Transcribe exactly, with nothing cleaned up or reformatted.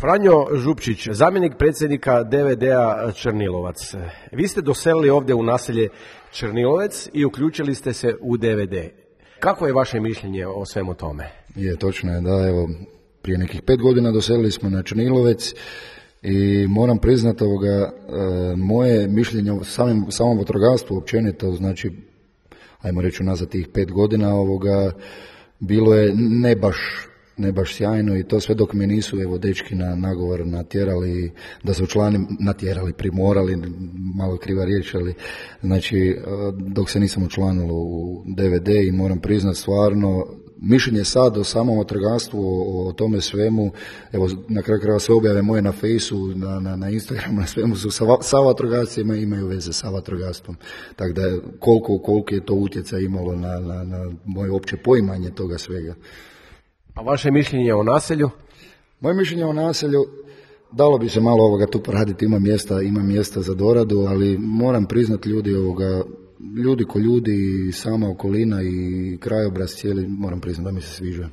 Franjo Župčić, zamjenik predsjednika D V D-a Črnilovac. Vi ste doselili ovdje u naselje Črnilovec i uključili ste se u D V D. Kako je vaše mišljenje o svemu tome? Je, točno je, da, evo, prije nekih pet godina doselili smo na Črnilovec i moram priznati ovoga, e, moje mišljenje o samim, samom vatrogastvu općenito, znači, ajmo reći unazad tih pet godina ovoga, bilo je ne baš ne baš sjajno i to sve dok me nisu evo dečki na nagovor natjerali da se učlanim, natjerali, primorali, malo kriva riječ, ali znači dok se nisam učlanilo u D V D i moram priznat stvarno mišljenje sad o samom vatrogastvu, o, o tome svemu, evo na kraju krajeva sve objave moje na Fejsu, na, na, na Instagramu, na svemu su sa, sa vatrogascima imaju veze sa vatrogastvom. Tako da koliko, koliko je to utjecaj imalo na, na, na moje opće poimanje toga svega. A vaše mišljenje o naselju? Moje mišljenje o naselju, dalo bi se malo ovoga tu poraditi, ima mjesta, ima mjesta za doradu, ali moram priznati ljudi ovoga, ljudi ko ljudi, sama okolina i krajobraz cijeli, moram priznati da mi se sviđa.